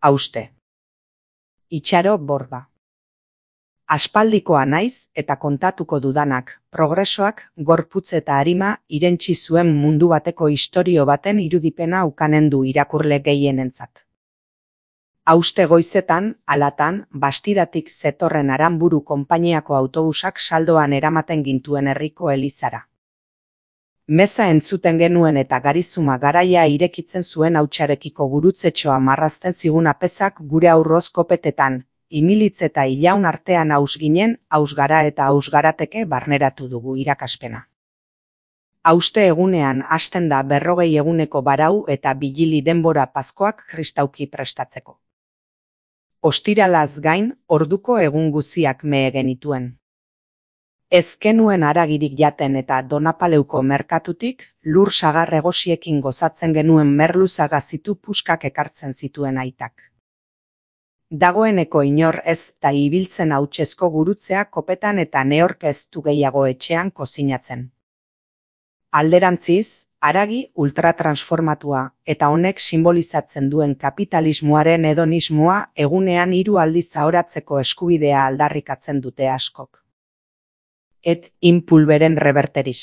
hauste. Itxaro Borda. Aspaldikoa naiz eta kontatuko dudanak, progresoak, gorputz eta arima irentsi zuen mundu bateko istorio baten irudipena ukanen du irakurle gehienentzat. Hauste goizetan, alatan, Bastidatik zetorren Aranburu konpainiako autobusak saldoan eramaten gintuen herriko elizara. Meza entzuten genuen eta garizuma garaia irekitzen zuen hautsarekiko gurutzetxoa marrazten zigun apezak gure aurroz kopetetan, imilitz eta ilaun artean haus ginen, haus gara eta haus garateke barneratu dugu irakaspena. Hauste egunean hasten da 40 eguneko barau eta bilili denbora Paskoak kristauki prestatzeko. Ostiralaz gain, orduko egun guziak mehe genituen. Ez genuen haragirik jaten eta Donapaleuko merkatutik, lur sagar egosiekin gozatzen genuen merluza gazitu puskak ekartzen zituen aitak. Dagoeneko inor ez da ibiltzen hautsezko gurutzea kopetan eta neork ez du gehiago etxean kozinatzen. Alderantziz, haragi ultratransformatua eta honek simbolizatzen duen kapitalismoaren hedonismoa egunean 3 aldiz ahoratzeko eskubidea aldarrikatzen dute askok. Et impulberen reverteris.